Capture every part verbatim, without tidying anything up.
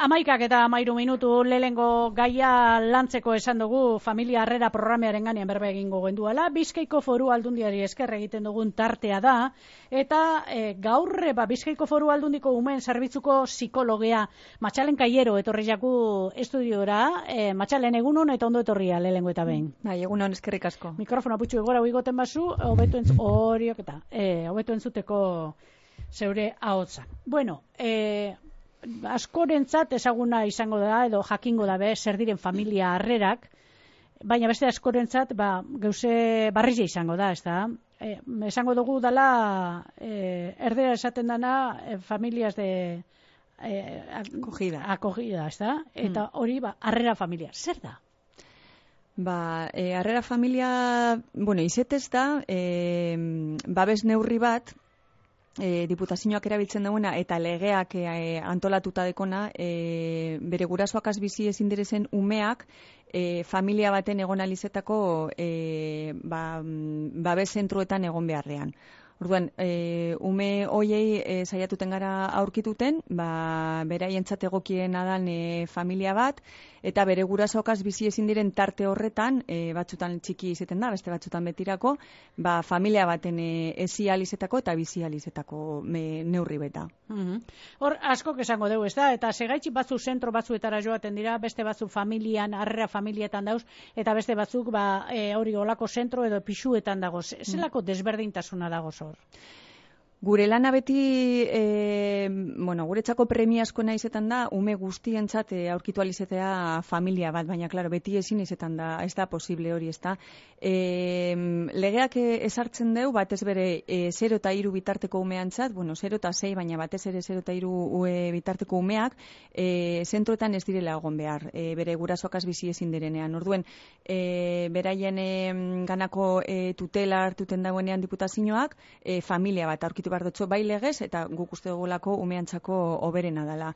amaikak eta amairu minutu lehengo gaia lantzeko esan dugu familia harrera programaren ganean berba egingo genduela. Bizkaiko Foru Aldundiari esker egiten dugun tartea da, eta e, gaur ba, Bizkaiko Foru Aldundiko umeen zerbitzuko psikologea Matxalen Kaiero etorri jaku estudiora. E, Matxalen, egunon eta ondo etorria lehengo eta behin. Bai, egunon, eskerrik asko. Mikrofona putxu egora uigoten bazu, hobetu entz, horiok eta, e, hobetu entzuteko zeure ahotsa. Bueno, e, askorentzat ezaguna izango da edo jakingo da be zer diren familia harrerak, baina beste askorentzat ba geuse barria izango da, ezta? E, esango dugu dela e, erdera esaten dana e, familias de e, acogida, acogida, ezta? Eta hori ba harrera familia. Zer da? Ba, e, harrera familia, bueno, izetez da, e, babes neurri bat, E, diputazioak erabiltzen duena eta legeak e, antolatuta dekona, e, bere gurasoak bizi ezin direzen umeak e, familia baten egon alizetako e, ba, babes zentruetan egon beharrean. Orduan, e, ume hoiei e, saiatuten gara aurkituten, ba, beraientzat egokiena dan e, familia bat, eta bere gurasoakaz bizi ezin diren tarte horretan, e, batzutan txiki izaten da, beste batzutan betirako, ba, familia baten e, ezi alizetako eta bizi alizetako me, neurri beta. Mm-hmm. Hor, askok esango dugu, ez da? Eta segaitxi batzu zentro batzuetara joaten dira, beste batzu familian, harrera familietan dauz, eta beste batzuk ba, e, hori olako zentro edo pisuetan dago. Zelako desberdintasuna dago zor? Gure lana beti, e, bueno, guretzako premiazko naizetan da, ume guztientzat e, aurkitu alizetea familia bat, baina, klaro, beti ezin izetan da, ez da posible hori, ez da. E, legeak ezartzen deu, batez bere e, zero eta hiru bitarteko umeantzat, bueno, zero eta sei, baina batez ere zero eta hiru e, bitarteko umeak, e, zentroetan ez direla egon behar, e, bere gurasoakaz bizi ezin direnean. Orduen, e, beraien e, ganako e, tutela hartuten dagoenean diputazioak, e, familia bat aurkitu bardotxo bai legez, eta guk uste dugulako umeantzako oberena dela.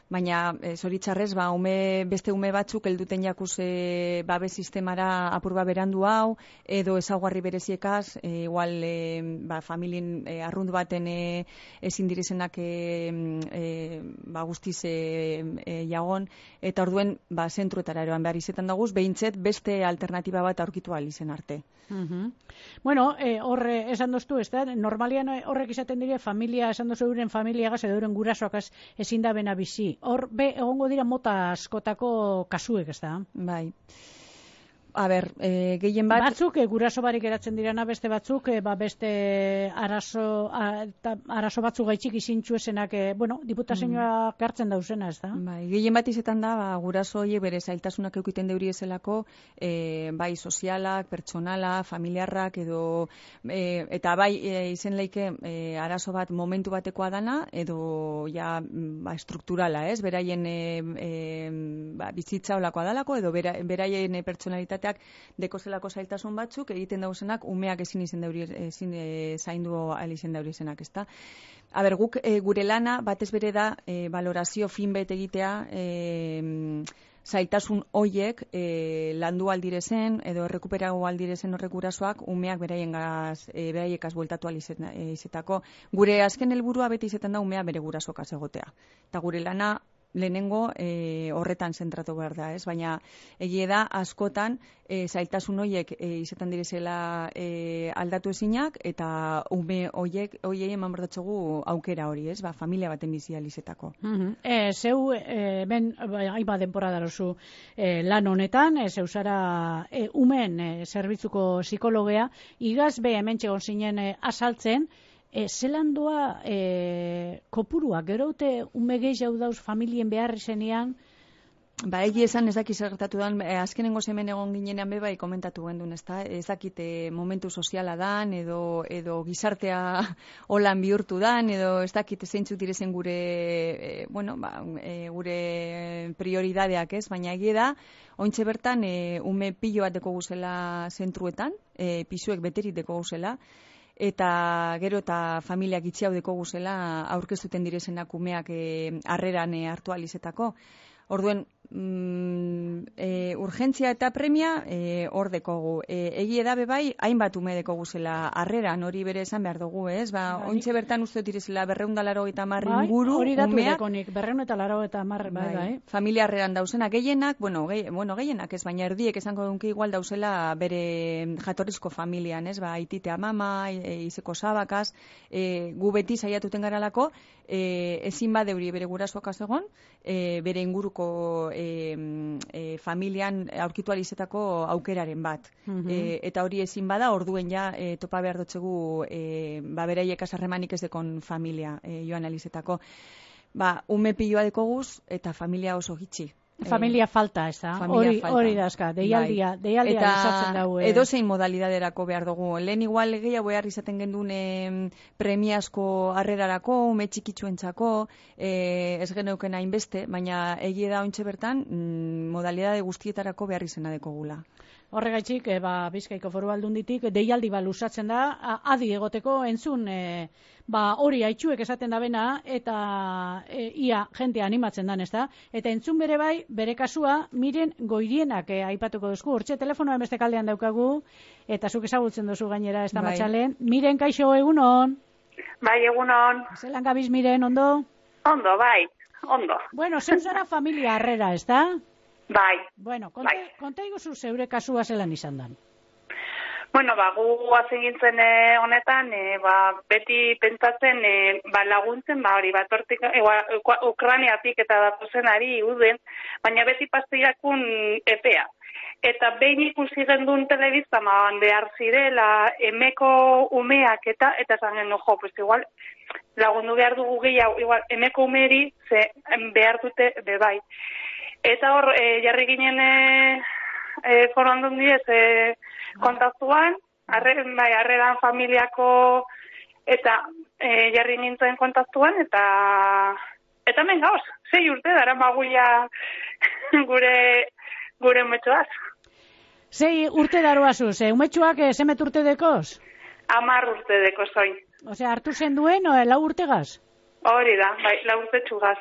Baina, e, zoritxarrez, ba, ume, beste ume batzuk helduten jakuz e, babe sistemara apurba berandu hau, edo ezaugarri bereziekaz, e, igual e, ba, familien e, arrundu baten e, ezin direzenak e, e, ba, guztiz e, e, jagon, eta orduen ba, zentruetara eroan behar izetan daguz, behintzet beste alternatiba bat aurkitu ahal izen arte. Mm-hmm. Bueno, eh, horre esan doztu, ez da, normalian horrek izaten dire familia, esan dozu euren familiagaz edo euren gurasoakaz ezin da bena bizi. Hor, be, egongo dira mota askotako kasuek, ez da? Bai. A ber, e, gehien bat... Batzuk, e, guraso barik eratzen dirana, beste batzuk, e, ba, beste arazo, a, ta, arazo batzuk gaitxik izintxu esenak, e, bueno, diputazioa mm. gartzen dauzena, ez da? Bai, gehien bat izetan da, ba, guraso horiek bere zailtasunak eukiten deuri ezelako, e, bai sozialak, pertsonala, familiarrak, edo, e, eta bai, e, izen leike, e, arazo bat momentu batekoa dana, edo, ja, ba, strukturala, ez? Beraien e, e, ba, bizitza olakoa dalako, edo bera, beraien e, pertsonalitatea deko zelako zailtasun batzuk egiten dauzenak umeak ezin izen dauri ezin e, zaindu ahal izen dauri izenak, ezta. A ber, guk e, gure lana batez bere da e, valorazio fin bet egitea e, zailtasun hoiek e, landu aldirezen edo errekuperago aldirezen horrek gurasoak umeak beraiengaz e, beraiekaz bueltatu ahal izetako. Gure azken helburua beti izetan da umea bere gurasoakaz egotea. Eta gure lana lehenengo e, horretan zentratu behar da, ez? Baina egie da askotan e, zailtasun hoiek e, izetan direzela e, aldatu ezinak eta ume hoiek hoiei eman berdotxogu aukera hori, ez? Ba, familia baten bizi alizetako. Mm-hmm. e, zeu, e, ben, hainba denpora darozu e, lan honetan, e, zeu zara e, umen e, zerbitzuko psikologea, igaz be hemen txegon zinen e, asaltzen, E, zelan doa e, kopurua, gero ute ume gehiago dauz familien behar izenean? Ba, egi esan ez dakit zertatu dan, e, azkenengo hemen egon ginenean bebai komentatu gendun, ez da, ez dakit e, momentu soziala dan, edo, edo gizartea holan bihurtu dan, edo ez dakit zeintzuk direzen gure, e, bueno, ba, e, gure prioridadeak, ez, baina egie da, ointxe bertan e, ume pilo bat deko guzela zentruetan, e, pisuek beterit deko guzela, eta gero eta familiak itxiau deko guzela aurkeztuten direzenak umeak harreran e, hartu alizetako. Orduen, mm, e, urgentzia eta premia e, hor dekogu. E, egi edabe bai, hainbat ume dekogu zela harreran, hori bere esan behar dugu, ez? Ba, bai. Ointxe bertan uste direzela berreunda laro eta marri bai, inguru, hori datu umeak, dekonik, berreun eta laro eta marri, bai, bai. Familia harreran dauzena, gehienak, bueno, gehi, bueno, gehienak ez, baina erdiek esango dunki igual dauzela bere jatorrizko familian, ez? Ba, aititea mama, e, izeko sabakaz, e, gu beti saiatuten garalako, e, ezin badeuri bere gurasoak egon, e, bere inguruko e, e, familian aurkitu alizetako aukeraren bat. Mm-hmm. e, eta hori ezin bada, orduen ja e, topa behar dutxegu e, ba, bereiek asarremanik ez dekon familia e, joan alizetako. Ba, ume piloa dekoguz eta familia oso gitxi. Familia falta, ez da? Hori, hori dazka, deialdia, bai. deialdia luzatzen dago. Eta edozein modalidaderako behar dugu. Lehen igual gehiago behar izaten gendun eh, premiazko harrerarako, ume txikitsuentzako, eh, ez geneuken hainbeste, baina egie da ointxe bertan, mm, modalidade guztietarako behar izena dekogula. Horregaitzik, e, ba, Bizkaiko Foru Aldunditik deialdi ba luzatzen da, adi egoteko entzun e, ba, hori haitxuek esaten da bena, eta e, ia jentea animatzen dan, ez da? Eta entzun bere bai, bere kasua, Miren Goirienak e, aipatuko duzku. Hortxe telefonoa beste kaldean daukagu, eta zuk ezagutzen duzu gainera, ez da bai. Matxalen. Miren, kaixo, egunon? Bai, egunon. Zelan gabiz, Miren, ondo? Ondo, bai, ondo. Bueno, zeu zara familia harrera, ez da? Bai. Bueno, konta, bai. konta iguzu zeure kasua zelan izan dan. Bueno, ba, gu hazen gintzen eh, honetan, eh, ba, beti pentsatzen eh, ba, laguntzen, ba, hori, bat hortik, eh, Ukraniatik eta datozenari uden, baina beti pastirakun epea. Eta behin ikusi gendun telebizta, ma, behar zirela, emeko umeak eta, eta zan genuen, jo, pues igual, lagundu behar dugu gehiago, igual, emeko umeri, ze behar dute, bebai. Eta hor, e, jarri ginen e, e, Foru Aldundiez e, kontaktuan, arren, bai, arreran familiako, eta e, jarri nintzen kontaktuan, eta eta men gauz, zei urte dara maguia gure gure umetxoaz. Zei urte daroazuz, e, umetxoak e, zemet urte dekoz? Amar urte dekoz oin. Osea, hartu zen duen, o, lau urtegaz? Hori da, bai, lau urte txugaz.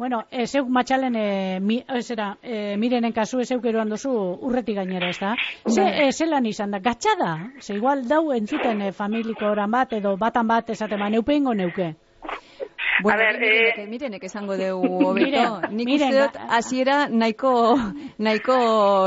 Bueno, e, zeuk Matxalen, e, mi, ezera, e, Mirenen kasu zeuk eroan dozu urretik gainera, ez da? Ze, e, zelan izan da, gatxada? Ze igual dau entzuten e, familiko oran bat, edo batan bat esaten ba, neupe ingo neuke. Bueno, a ver, mirenek, eh... mirenek esango dugu hobeto. Nik uste dut, hasiera nahiko, nahiko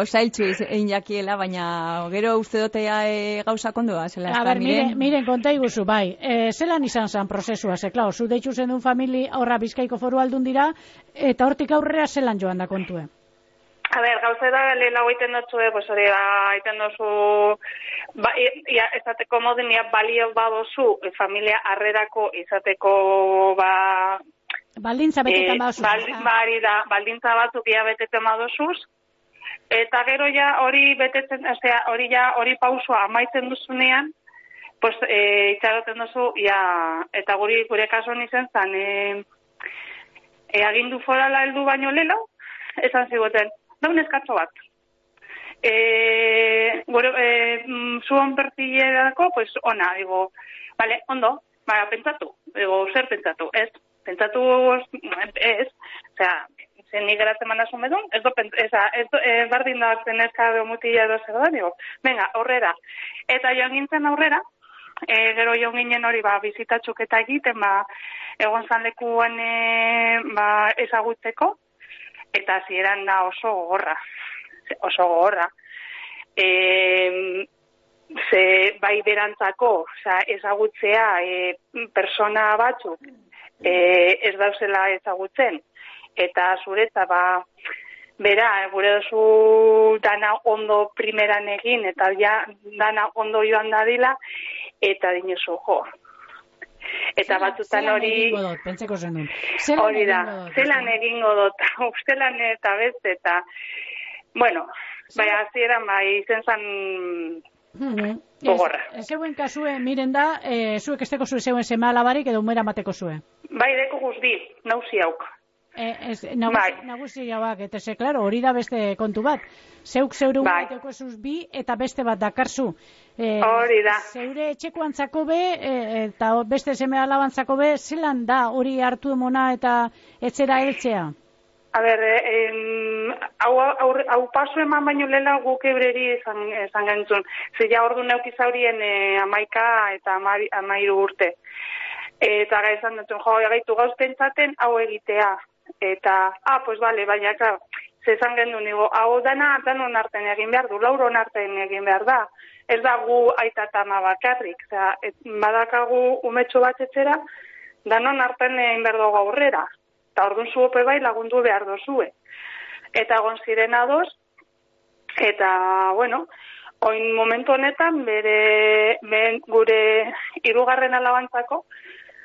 zailtzu egin jakiela, baina gero uste dutea e, gauza kondoa. Zela, a ber, miren, miren konta iguzu, bai. E, zelan izan zan prozesua, ze, klar, zu deitzu zen duen famili, horra Bizkaiko Foru Aldundira, eta hortik aurrera zelan joan da kontue? A ber, gauza da, lehen hau iten dutzu, eh, pues hori da, iten duzu, ba, ia, izateko moden, ia balio badozu, e, familia harrerako izateko, ba... Baldintza betetan e, badozuz. Bal, bari da, baldintza batzuk ia betetan badozuz, eta gero ja hori betetzen, osea, hori ja, hori pausua amaitzen duzunean, pues, e, itxaroten duzu, ia, eta guri, gure kasuan izan zan, e, e, agindu forala heldu baino lelo, esan zigoten, daun eskatzo bat. E, gure, e, zuon pertilerako, pues, ona, digo, vale, ondo, baina pentsatu, digo, zer pentsatu, ez, pentsatu, ez, osea, zen nik geratzen mandasun bedun, ez do, ez do, e, bardin da eska mutila edo zer da, digo, venga, aurrera. Eta joan gintzen aurrera, e, gero joan ginen hori, ba, bizitatxuk eta egiten, ba, egon zan lekuan, e, ba, ezagutzeko, eta zieran da oso gogorra, oso gogorra. E, ze bai berantzako, oza, ezagutzea e, persona batzuk e, ez dauzela ezagutzen, eta zuretza, ba, bera, gure duzu dana ondo primeran egin, eta ja dana ondo joan dadila, eta dinezu, jo. Eta batzutan hori... Hori da, zelan egingo dut, ustelan eta beste, eta... Bueno, bai, azieran bai, izen zan... Gogorra. Ez zeuen kasue, miren da, e, zuek esteko zuen zeuen sema alabarik edo umera mateko zuen? Bai, deko guzti, nauzi hauk. E, ez, nagusi, bai. Nagusi jauak, eta ze, klaro, hori da beste kontu bat. Zeuk zeure bai. Umeteko zuz bi, eta beste bat dakarzu. E, hori da. Zeure etxekoantzako be, e, eta beste seme alabantzako be, zelan da hori hartu emona eta etzera heltzea? A ber, em, hau, hau, hau paso eman baino lela guk ebreri izan, izan gentzun. Zila ordu neukizaurien e, amaika eta amari, amairu urte. Eta gara izan dutun, jo, egaitu gauz pentsaten hau egitea. Eta, ah, pues bale, baina, klar, zezan gendu nigo, hau dana danon arten egin behar du, lauron arten egin behar da. Ez da gu aita eta ama bakarrik. Osea, badakagu umetxo bat etxera, danon arten egin behar dugu aurrera. Eta orduan zuope bai lagundu behar dozue. Eta egon ziren ados, eta, bueno, oin momentu honetan, bere, ben, gure hirugarren alabantzako,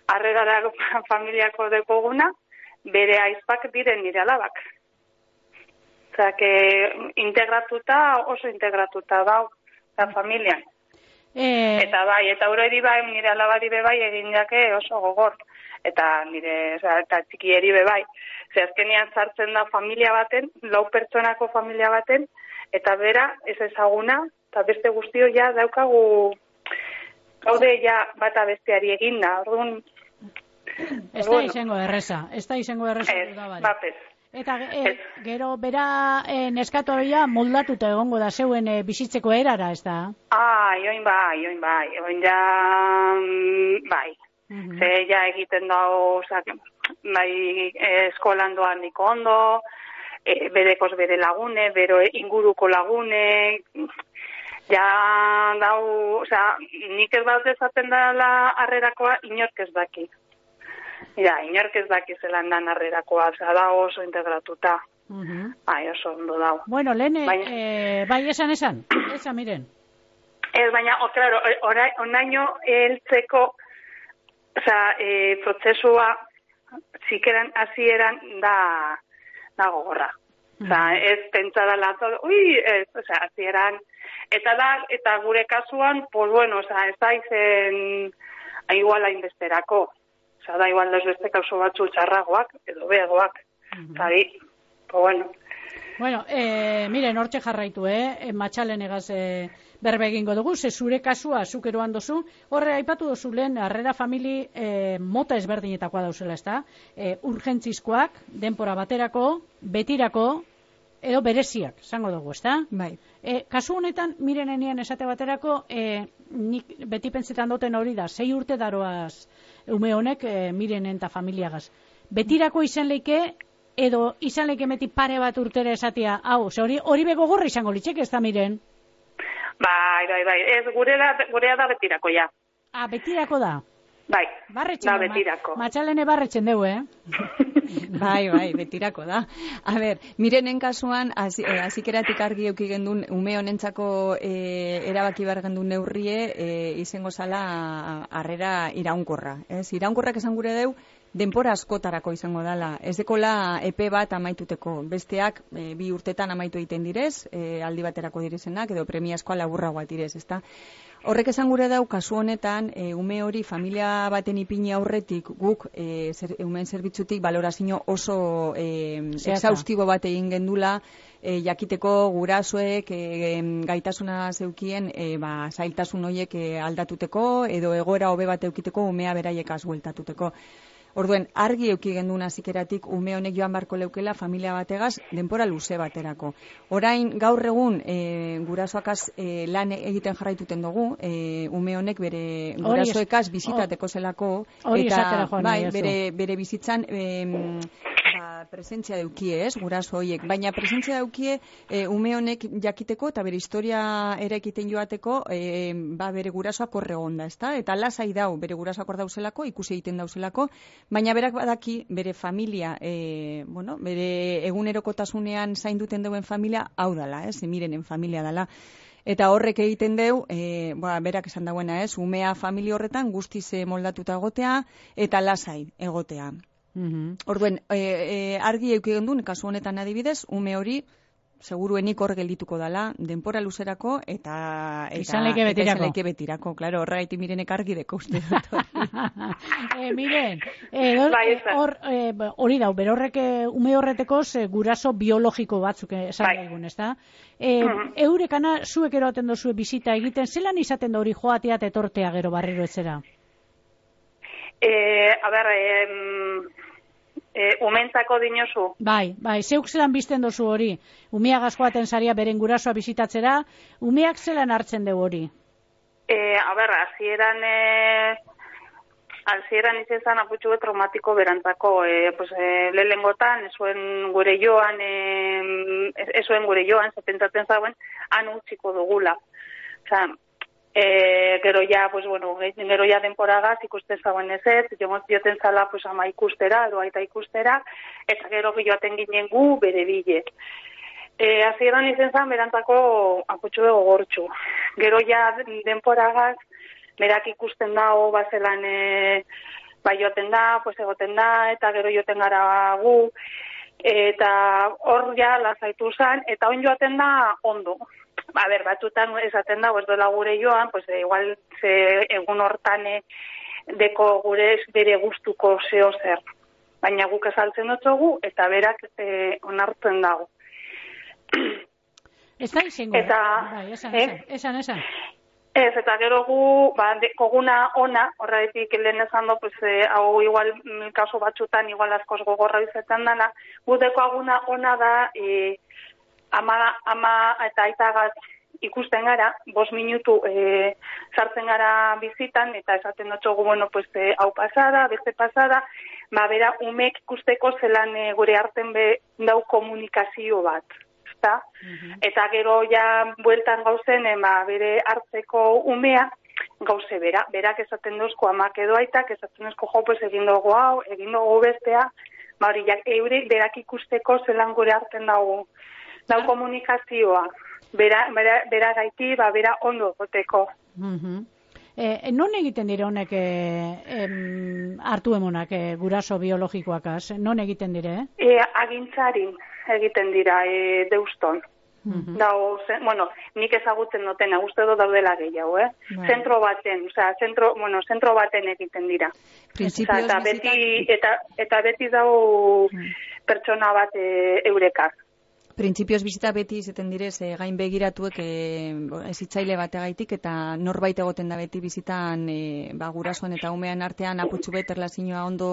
harregara familiako dekoguna, bere aizpak diren nire alabak. Osea, que integratuta, oso integratuta dau, eta familian. E... Eta bai, eta hori bai, nire alabari bai egin jake oso gogor. Eta nire, oza, eta txikieri be bai. Ze azkenian sartzen da familia baten, lau pertsonako familia baten, eta bera, ez ezaguna, eta beste guztio ja daukagu, gaude ja bata besteari eginda. Orduan, ez da izango erreza, ez da izango erreza. Ez, bapez. Eta e, gero, bera e, neskatoia moldatuta egongo da zeuen e, bizitzeko erara, ez da? Ah, join bai, join bai, join ja, bai. Uh-huh. Ze ja egiten dago, oza, bai, eskolan doan niko ondo, e, berekoz bere lagune, bero inguruko lagune, ja dau, oza, nik ez bat ezaten dela harrerakoa, inork ez daki. Ja, inork ez daki zelan dan harrerakoa, oza, da oso integratuta. Uh-huh. Ai, oso ondo dau. Bueno, lehen, baina... e, bai esan esan, esan miren. Ez, baina, o, claro, onaino heltzeko, Osa, e, prozesua zikeran hasieran da, da gogorra. Osa, ez pentsa dala, ui, ez, osa, hasieran, eta da, eta gure kasuan, pues bueno, osa, ez da izen, igual hainbesterako. Osa, da igual das beste kauso batzu txarragoak, edo beagoak. Osa, di, pues bueno. Bueno, eh, miren, hortxe jarraitu, eh? Matxalen egaz eh, berbe egingo dugu, ze zure kasua zukeroan dozu, horre aipatu dozu lehen, harrera famili eh, mota ezberdinetakoa dauzela, ez da? Eh, urgentzizkoak, denpora baterako, betirako, edo bereziak, zango dugu, ez da? Bai. Eh, kasu honetan, miren enian esate baterako, eh, nik beti pentsetan duten hori da, sei urte daroaz ume honek eh, mirenen eta familiagaz. Betirako izan leike, edo izan leike meti pare bat urtera esatia, hau, ze hori, hori begogorra izango litzek, ez da miren? Bai, bai, bai, ez gure da, gurea da betirako, ja. Ah, betirako da? Bai, barretzen da betirako. Ma, matxalene barretzen dugu, eh? Bai, bai, betirako da. A ber, mirenen kasuan, azikeratik argi euki gendun, ume honentzako e, erabaki behar gendun neurrie, e, izango zala harrera iraunkorra. Ez? Iraunkorrak esan gure deu, denpora askotarako izango dala. Ez dekola epe bat amaituteko. Besteak e, bi urtetan amaitu egiten direz, e, aldi baterako direzenak, edo premiazkoa laburragoa direz, ezta? Horrek esan gure dau, kasu honetan, e, ume hori familia baten ipini aurretik guk e, zer, umen zerbitzutik balorazio oso e, exhaustibo bat egin gendula, e, jakiteko gurasoek e, gaitasuna zeukien e, ba, zailtasun horiek e, aldatuteko edo egoera hobe bat eukiteko umea beraiekaz bueltatuteko. Orduen, argi euki genduna zikeratik ume honek joan barko leukela familia bategaz denpora luze baterako. Orain gaur egun e, gurasoakaz e, lan egiten jarraituten dugu, e, ume honek bere gurasoekaz bizitateko zelako, eta bai, bere, bere bizitzan e, ba, presentzia daukie, ez, guraso horiek. Baina presentzia daukie e, ume honek jakiteko eta bere historia ere ekiten joateko e, ba, bere gurasoak horre onda, ezta? Eta lasai dau, bere gurasoak hor dauzelako, ikusi egiten dauzelako, baina berak badaki bere familia, e, bueno, bere egunerokotasunean zainduten duen familia, hau dala, ez, mirenen familia dala. Eta horrek egiten deu, e, ba, berak esan dauena, ez, umea familia horretan guztiz moldatuta egotea eta lasai egotea. Mm-hmm. Orduen, e, e, argi euki gendun, kasu honetan adibidez, ume hori seguruenik hor geldituko dala, denpora luzerako eta izan leike betirako. Leike betirako, claro, horregaiti mirenek argi deko uste dut. e, miren, hor e, hori dau, berorrek ume horretekoz e, guraso biologiko batzuk esan daigun, ez da? E, uh-huh. Eurekana zuek eroaten dozue bizita egiten, zelan izaten da hori joatea etortea gero barriro etzera? Eh, a ber, eh, eh, umentzako dinozu. Bai, bai, zeuk zelan bizten dozu hori. Umeak askoaten zaria beren gurasoa bizitatzera, umeak zelan hartzen dugu hori? E, a ber, hasieran e, hasieran izan zan aputxu traumatiko berantzako, e, pues, e, lehengotan, esuen gure joan, e, esuen gure joan, zepentzatzen zauen, han utziko dugula. Osa, e, gero ja, pues, bueno, gero ja denporagaz ikusten zauen ez ez, joten zala, pues, ama ikustera, edo aita ikustera, eta gero joaten ginen gu bere bile. E, hasieran izan zan, berantzako aputxu dugu gortxu. Gero ja denporagaz, berak ikusten dago, bazelan, e, bai joaten da, pues egoten da, eta gero joaten gara gu, eta hor ja lasaitu zan, eta on joaten da ondo. A ber, batutan esaten da, ez dola gure joan, pues igual ze egun hortan deko gure bere gustuko zeo zer. Baina guk esaltzen dutzugu, eta berak e, onartzen dago. Ez da izango, eta, bai, esan, esan, esan, esan. Ez, eta gero gu, ba, koguna ona, horretik lehen esan do, pues, eh, hau igual, kaso batxutan, igual askoz gogorra izaten dana, gu deko aguna ona da, e, ama, ama eta aitagaz ikusten gara, bost minutu e, sartzen gara bizitan, eta esaten dutxogu, bueno, pues, e, hau pasada, beste pasada, ba, bera, umek ikusteko zelan e, gure arten be dau komunikazio bat. Uh-huh. Eta gero ja bueltan gauzen ema bere hartzeko umea gauze bera, berak esaten duzko amak edo aitak, esaten duzko jo, pues egin dugu hau, egin dugu bestea, ba hori, eurek berak ikusteko zelan gure hartzen dago, dago komunikazioa, bera, bera, bera gaiti, ba bera ondo goteko. Uh-huh. Eh, non egiten dire honek eh, em, hartu emonak eh, guraso biologikoakaz? Non egiten dire? Eh, agintzarin egiten dira e, deuston. Mm-hmm. Dau, zen, bueno, nik ezagutzen dutena, uste do daudela gehiago, eh? Bai. Zentro baten, osea, zentro, bueno, zentro baten egiten dira. Principios eta beti eta eta beti dau mm. pertsona bat e, eurekar. Printzipioz bizita beti izaten direz, e, gain begiratuek e, ezitzaile bategaitik eta norbait egoten da beti bizitan e, ba, gurasoan eta umean artean aputxu bet erlazioa ondo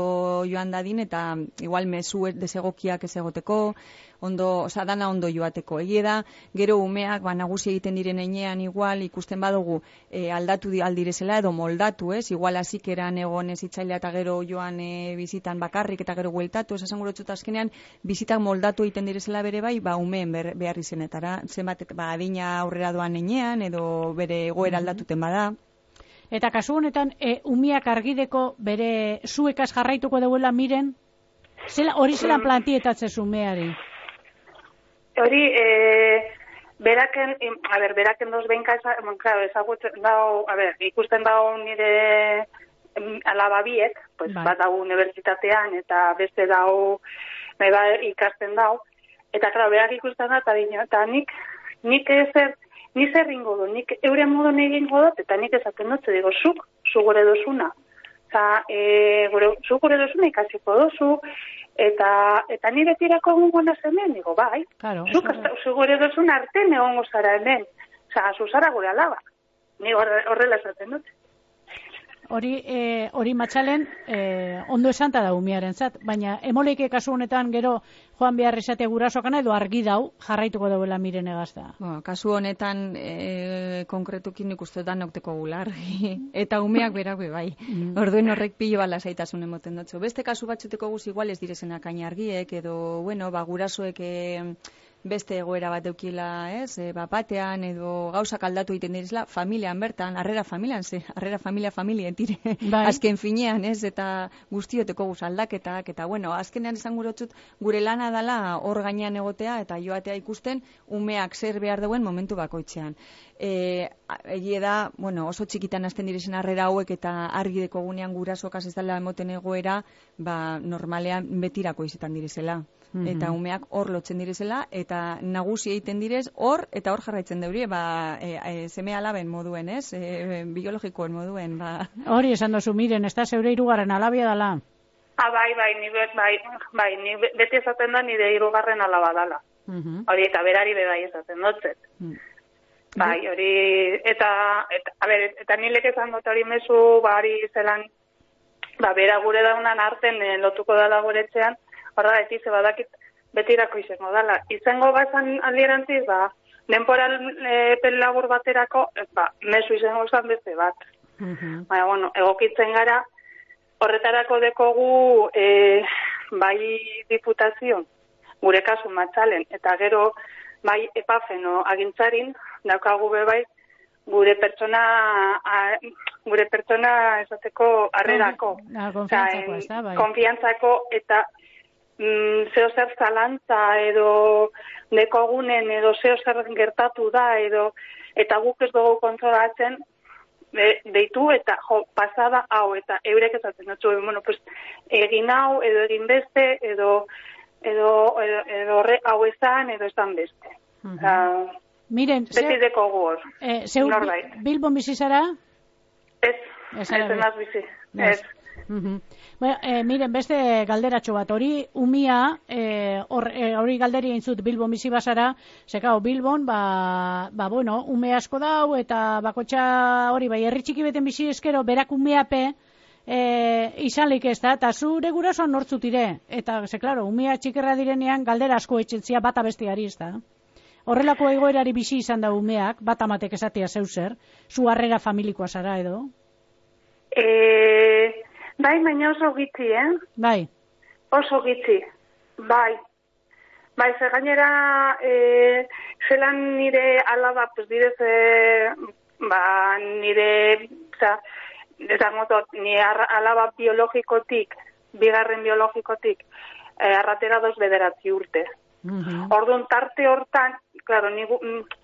joan dadin eta igual mezu desegokiak ez egoteko, ondo, oza, dana ondo joateko. Egie da, gero umeak ba, nagusi egiten diren einean igual ikusten badugu e, aldatu aldirezela edo moldatu, ez? Igual hasik eran egon ezitzailea eta gero joan e, bizitan bakarrik eta gero bueltatu, ez esan gurotxut azkenean bizitak moldatu egiten direzela bere bai, ba, umeen behar izenetara, zenbat, ba, adina aurrera doan einean edo bere egoera aldatuten bada. Eta kasu honetan, e, umiak argideko bere zuekaz jarraituko deuela miren, zela, hori zelan plantietatze umeari? Hori, e, beraken, a ber, beraken doz behinka ezagutzen dao, a ber, ikusten dao nire alaba biek, pues, bai. Bat dago unibertsitatean eta beste dao, meba ikasten dao, eta, klar, berak ikusten da, eta, eta nik, nik ezer, ni zer ringo du, nik euren modu egingo dut, eta nik ezaten dut, digo, zuk, zu gure dozuna. Eta, e, gure, zu gure dozuna ikasiko dozu, eta eta ni betirako egongo naz hemen, digo, bai, claro, zuk zu gure dozuna arte egongo zara hemen, oza, zu zara gure alaba. Ni horrela esaten dut. Hori, eh, hori matxalen eh, ondo esanta da umiaren zat, baina emoleike kasu honetan gero joan behar esate gurasokana edo argi dau jarraituko dauela miren egazta. Bueno, kasu honetan e, konkretukin ikustu da nokteko gular. Eta umeak berak be bai. Mm. Orduen horrek pilo bala zaitasun emoten dutzu. Beste kasu batzuteko guz igual ez direzenak argiek edo, bueno, ba, gurasoek e, beste egoera bat eukila, ez, e, bapatean edo gauzak aldatu egiten direzela, familian bertan, harrera familian, ze, harrera familia familien tire, bai. Azken finean, ez, eta guztioteko guz aldaketak, eta bueno, azkenean esan gurotzut, gure lana dala hor gainean egotea, eta joatea ikusten, umeak zer behar duen momentu bakoitzean. E, egie da, bueno, oso txikitan hasten direzen harrera hauek eta argi deko gunean gurasokaz ez dela emoten egoera, ba, normalean betirako izetan direzela. Mm-hmm. Eta umeak hor lotzen direzela, eta nagusi egiten direz, hor eta hor jarraitzen deurie, ba, e, e, seme alaben moduen, ez? E, biologikoen moduen, ba. Hori esan dozu, miren, ez da zeure hirugarren alabia dala? Ah, bai, bai, ni, bai, bai, ni beti esaten da nire hirugarren alaba dala. Mm-hmm. Hori, eta berari bebai esaten dotzet. Mm. Bai, hori, eta, eta, a ber, eta nilek esan dut hori mezu, ba, hori zelan, ba, bera gure daunan arten eh, lotuko dala guretzean, horregatik ze badakit betirako izango dala. Izango bazan aldirantziz, ba, denporal e, pel labur baterako, ba, mesu izango zan beste bat. Uh-huh. Baina, bueno, egokitzen gara, horretarako dekogu e, bai diputazio, gure kasu Matzalen, eta gero bai epafeno agintzarin, daukagu be bai, gure pertsona a, gure pertsona esateko harrerako. Ah, konfiantzako, ez da, bai. Konfiantzako eta mm, zeo zer zalantza edo dekogunen edo zeo zer gertatu da edo eta guk ez dugu kontsolatzen de, deitu eta jo, pasada hau eta eurek esaten dutzu, bueno, pues, egin hau edo egin beste edo edo edo, edo horre hau esan edo esan beste. Uh-huh. uh, Miren, beti dekogu hor. Eh, zeu Bilbon bizi zara? Ez, ez enaz bizi. Ez. Uh-huh. Bueno, eh, miren, beste galderatxo bat, hori umia, eh, hori eh, galderi eintzut Bilbon bizi bazara, zekao Bilbon, ba, ba, bueno, ume asko dau, eta bakotxa hori, bai, herri txiki beten bizi eskero, berak umeape, eh, izanlik ez da, eta zure gurasoan nortzutire, eta, ze, klaro, umea txikerra direnean, galdera asko etxentzia bata besteari ez da. Horrelako egoerari bizi izan da umeak, bat amatek esatea zeu zer, zu harrera familikoa zara edo? E, bai, baina oso gitzi, eh? Bai. Oso gitzi, bai. Bai, ze gainera, e, zelan nire alaba, pues direz, e, ba, nire, oza, dezagotot, nire alaba biologikotik, bigarren biologikotik, e, arratera doz bederatzi urte. Uh-huh. Orduan tarte hortan, claro, ni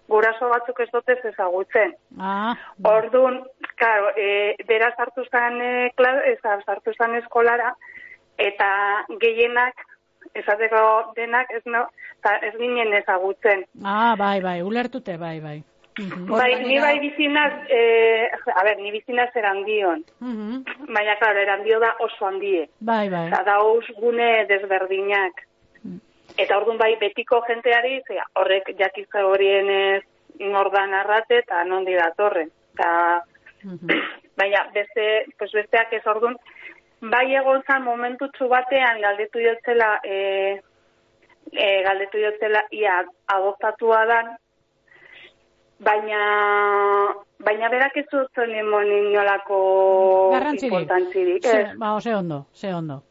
guraso batzuk ez dotez ezagutzen. Ah, Orduan, claro, e, bera sartu zen e, sartu zen eskolara eta gehienak esateko denak ez no, ez ginen ezagutzen. Ah, bai, bai, ulertute, bai, bai. Uh-huh. Bai, ni bai bizinaz, eh, a ber, ni bizinaz erandion. Uh-huh. Baina, claro, erandio da oso handie. Bai, bai. Eta dauz gune desberdinak. Eta orduan bai betiko jenteari, zera, horrek jakizka horien ez nordan arrate eta nondi datorren. Eta, uh-huh. baina beste, pues besteak ez orduan, bai egon zan momentutsu batean galdetu jotzela, e, e, galdetu jotzela ia adoptatua dan, baina, baina berak ez zuzen limon inolako importantzirik. Ze, ba, ze ondo, ze ondo.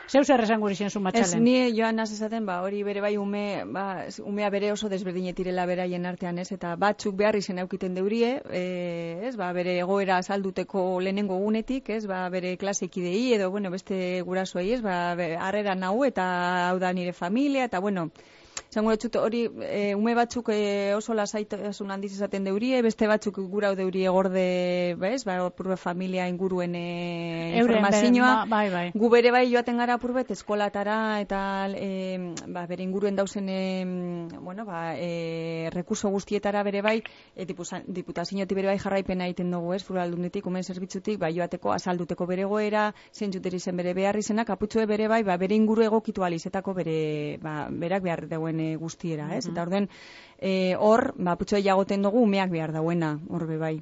Zeu zer esan guri zu Matzalen? Ez, ni joan naz esaten, ba, hori bere bai ume, ba, umea bere oso desberdinetirela beraien artean, ez, eta batzuk behar izen aukiten deurie, e, ez, ba, bere egoera azalduteko lehenengo gunetik, ez, ba, bere klasekidei, edo, bueno, beste gurasoei, ez, ba, harrera nau, eta hau da nire familia, eta, bueno, zango etxut hori, e, ume batzuk e, oso lasaitasun handiz esaten deurie, beste batzuk gurau deurie gorde, bez, ba, purbe familia inguruen e, informazioa. Ba, bai, bai. Gu bere bai joaten gara purbet eskolatara eta e, ba, bere inguruen dauzen e, bueno, ba, e, rekurso guztietara bere bai, e, diputazioetik bere bai jarraipena egiten dugu, ez, Foraldunditik, umen zerbitzutik, ba, joateko, azalduteko bere goera, zentzuteri zen bere behar izena, kaputxue bere bai, ba, bere inguru egokitu alizetako bere, ba, berak behar dauen e, guztiera, ez? Uh-huh. Eta orduen, hor, e, ba, putxue jagoten dugu, umeak behar dauena, hor be bai.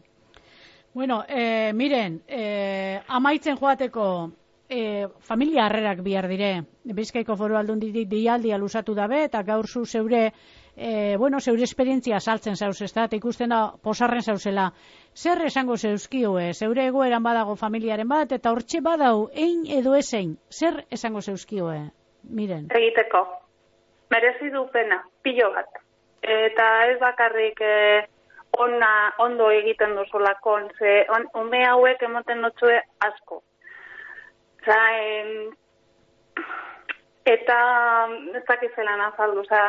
Bueno, eh, miren, eh, amaitzen joateko, E, familia harrerak bihar dire. Bizkaiko Foru Aldunditik dialdia luzatu dabe, eta gaur zu zeure, e, bueno, zeure esperientzia saltzen zauz, ez da, eta ikusten da, posarren zauzela. Zer esango zeuzkioe, zeure egoeran badago familiaren bat, eta hortxe badau, ein edo ezein, zer esango zeuzkioe? Miren. Egiteko, merezi du pena, pilo bat. Eta ez bakarrik e, ona, ondo egiten duzulakon, ze on, ume hauek emoten notzue asko. Oza, eh, eta ez dakizelan azaldu, oza,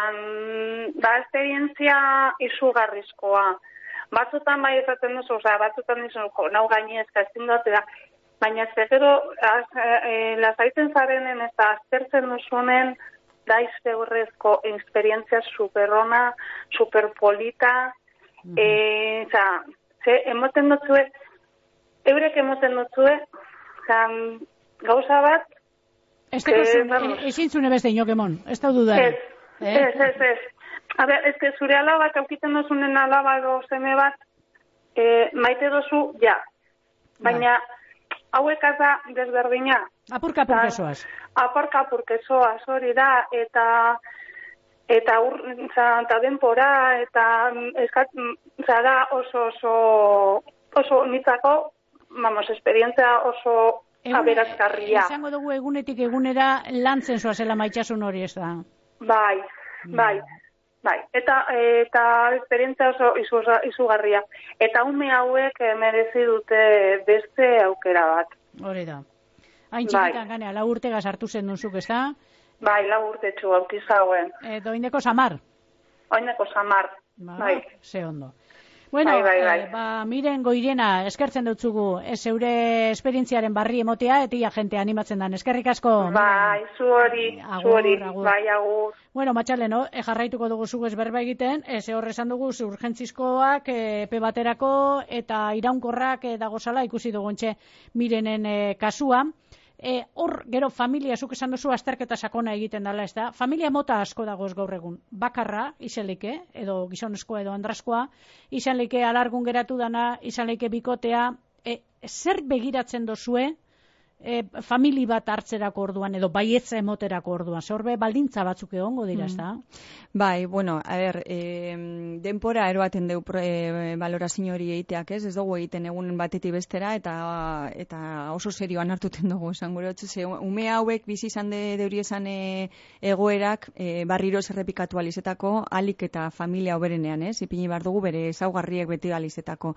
da esperientzia izugarrizkoa. Batzutan bai ezaten duzu, oza, batzutan dizu, jo, nau gaini ezka ezin dut, baina ez gero, e, lasaitzen zarenen eta aztertzen duzunen, da iztegurrezko esperientzia superrona, superpolita, mm-hmm. e, oza, ze, emoten dutzue, eurek emoten dutzue, oza, gauza bat... Ez ezintzune beste inokemon, ez da dudari. Ez, ez, ez, ez. A ber, ez que zure alabak, aukiten dozunen alaba edo seme bat, e, maite dozu, ja. Baina, hauek da desberdina, Apurka apurkesoaz. Aparka apurkesoaz hori da, eta eta ur, eta denpora, eta eskat, da oso oso oso nitzako, vamos, esperientzia oso aberazgarria. Izango dugu egunetik egunera lantzen zoazela maitasun hori, ez da? Bai, bai. Bai, eta eta esperientzia oso izugarria. Eta ume hauek merezi dute beste aukera bat. Hori da. Hain txikitan bai. Ganea, lau urtegaz hartu zen duzuk, ez da? Bai, lau urtetxu autizauen. Eta oindeko samar? Oindeko samar, ba, bai. Ze ondo. Bueno, bai, bai, bai. Eh, ba, Miren Goirena, eskertzen dutzugu, ez zeure esperientziaren barri emotea, eta ia jente animatzen dan. Eskerrik asko. Bai, zu hori, zu hori, bai, agur. Bueno, Matxale, no? E, jarraituko dugu zu ez berba egiten, ez e, horrezan dugu zu urgentzizkoak, e, epe baterako, eta iraunkorrak e, dagozala, ikusi duguntxe Mirenen e, kasua. E, hor, gero, familia, zuk esan duzu, azterketa sakona egiten dela, ez da? Familia mota asko dagoz gaur egun. Bakarra, izan leike, edo gizonezkoa edo andraskoa, izan leike alargun geratu dana, izan leike bikotea, e, zer begiratzen dozue, e, famili bat hartzerako orduan, edo baietza emoterako orduan, zorbe baldintza batzuk egongo dira, ez da? Mm. Bai, bueno, a ber, e, denpora eroaten deu e, balorazio hori egiteak, ez? Ez dugu egiten egun batetik bestera, eta eta oso serioan hartuten dugu, esan gure hotzu, ze ume hauek bizi izan de, deuri esan e, egoerak e, barriro zerrepikatu alizetako, alik eta familia oberenean, ez? Ipini bar dugu bere ezaugarriek beti alizetako.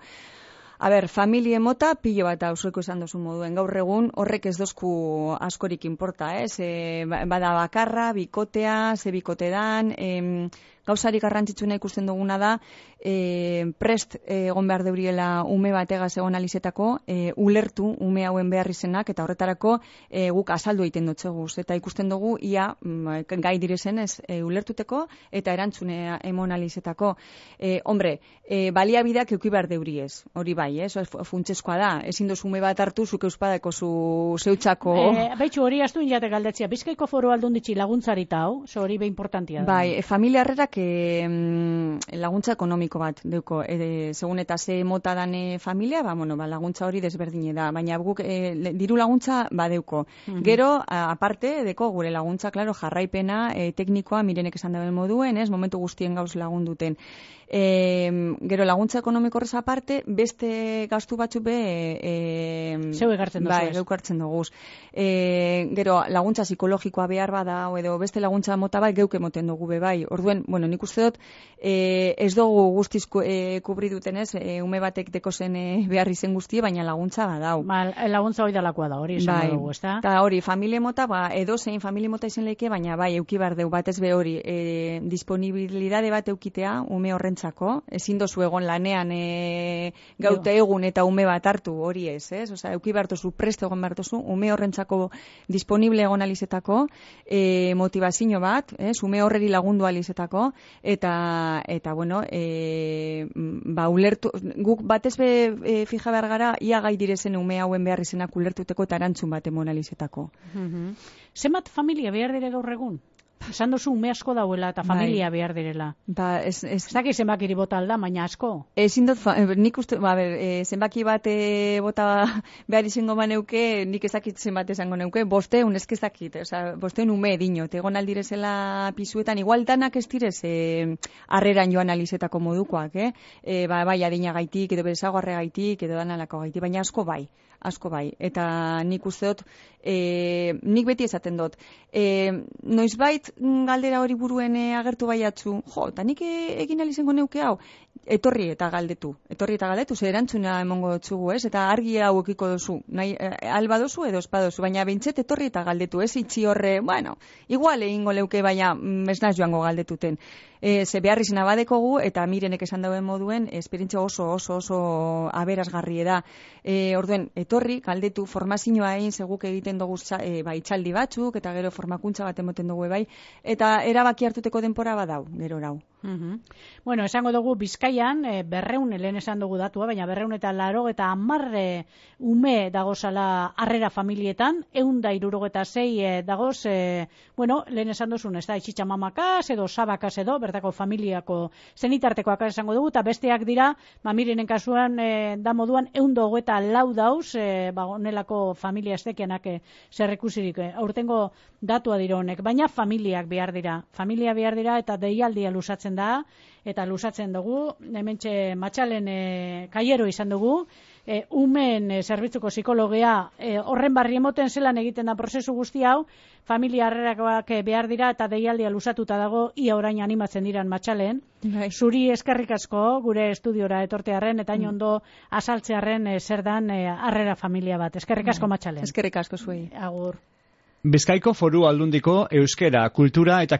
A ber, familie mota, pilo bat auzueko esan dozu moduen. Gaur egun horrek ez dozku askorik inporta, ez? E, bada bakarra, bikotea, ze bikote dan, em, gauzarik garrantzitsuna ikusten duguna da, e, prest egon behar deuriela ume bategaz egon alizetako, e, ulertu ume hauen behar izenak, eta horretarako e, guk azaldu egiten dotzeguz. Eta ikusten dugu, ia gai direzen ez e, ulertuteko, eta erantzunea emon alizetako. E, hombre, e, baliabideak euki behar deuriez, hori bai, ez? Funtsezkoa da, ezin dozu ume bat hartu, zuk euspadako zu zeutxako... E, Beitxu, hori astu inate galdetzia, Bizkaiko Foru Aldunditxi laguntzarita hau, zo hori be importantia da. Bai, e, familia harrerak e, laguntza ekonomiko bat deuko, e, segun eta ze mota dane familia, ba, bueno, ba, laguntza hori desberdine da, baina guk e, diru laguntza badeuko. Mm-hmm. Gero, a, aparte, deko gure laguntza, claro, jarraipena, e, teknikoa, Mirenek esan daben moduen, ez, momentu guztien gauz lagunduten. E, gero laguntza ekonomiko horrez aparte, beste gastu batzu be e, zeu egartzen dugu. Bai, geuk hartzen dugu. E, gero laguntza psikologikoa behar bada edo beste laguntza mota bai geuk emoten dugu be bai. Orduen, bueno, nik uste dut e, ez dugu guztiz e, kubri duten ez, e, ume batek deko zen e, behar izen guztie, baina laguntza badau. Ba, laguntza hori dalakoa da, hori esan bai, dugu, ez da? Eta hori, familie mota, ba, edo zein familie mota izen leike, baina bai, euki behar deu batez be hori, e, disponibilidade bat eukitea ume horren Zako, ezin dozu egon lanean e, gaute egun eta ume bat hartu hori ez, ez? Osa, euki behartozu, preste egon behartozu, ume horrentzako disponible egon alizetako, e, motivazio bat, ez? Ume horreri lagundu alizetako, eta, eta bueno, e, ba, ulertu, guk batez be e, fija behar gara, ia gai direzen ume hauen behar izenak ulertuteko eta erantzun bat emon alizetako. Mm-hmm. Zenbat familia behar dire gaur egun? Esan duzu ume asko dauela eta familia bai. Behar direla. Ba, ez... ez... Zaki zenbakiri bota alda, baina asko. Ezin dut, nik uste, ba, ber, e, zenbaki bat e, bota behar izango maneuke, nik ezakit zenbat esango neuke, bosteun ezkezakit, oza, bosteun ume edino, egon aldirezela pisuetan, igual danak ez direz, e, arreran joan alizetako modukoak, eh? E, ba, bai, adina gaitik, edo berezago arre gaitik, edo danalako gaitik, baina asko bai. Asko bai, eta nik uste dut, e, nik beti esaten dut, e, noizbait galdera hori buruen e, agertu baiatzu, jo, eta nik e, egin alizengo neuke hau, etorri eta galdetu, etorri eta galdetu, ze erantzuna emongo dutzugu, ez, eta argi hau ekiko duzu, nahi, e, alba duzu edo espa duzu, baina bintzet etorri eta galdetu, ez itxi horre, bueno, igual egingo leuke, baina ez naz joango galdetuten. E, ze behar izena badekogu, eta Mirenek esan dauen moduen, esperientzia oso, oso, oso aberazgarri da. E, orduen, etorri, galdetu, formazioa egin, seguk egiten dugu e, bai, txaldi batzuk, eta gero formakuntza bat emoten dugu bai, eta erabaki hartuteko denpora badau, gero rau. Uh-huh. Bueno, esango dugu Bizkaian, e, berreun, lehen esan dugu datua, baina berreun eta laro eta amarre ume dagozala harrera familietan, eun da irurogeta zei e, dagoz, e, bueno, lehen esan duzun, ez da, itxitxa mamakaz edo sabakaz edo, bertako familiako zenitartekoak esango dugu, eta besteak dira, mamirenen kasuan, e, da moduan, eun dogo eta lau dauz, e, ba, onelako familia estekianak e, zerrekusirik, e, aurtengo datua dira honek, baina familiak behar dira, familia behar dira eta deialdia lusatzen da, eta lusatzen dugu, hementxe matxalen e, kaiero izan dugu, e, umen e, zerbitzuko psikologia e, horren barri emoten zelan egiten da prozesu guzti hau, familia harrerakoak behar dira eta deialdia lusatuta dago, ia orain animatzen diran matxalen. Bai. Zuri eskerrik asko gure estudiora etortearren eta mm. ondo azaltzearren e, zer dan e, harrera familia bat. Eskerrik asko matxalen. Eskerrik asko zuei. Agur. Bizkaiko Foru Aldundiko euskera, kultura eta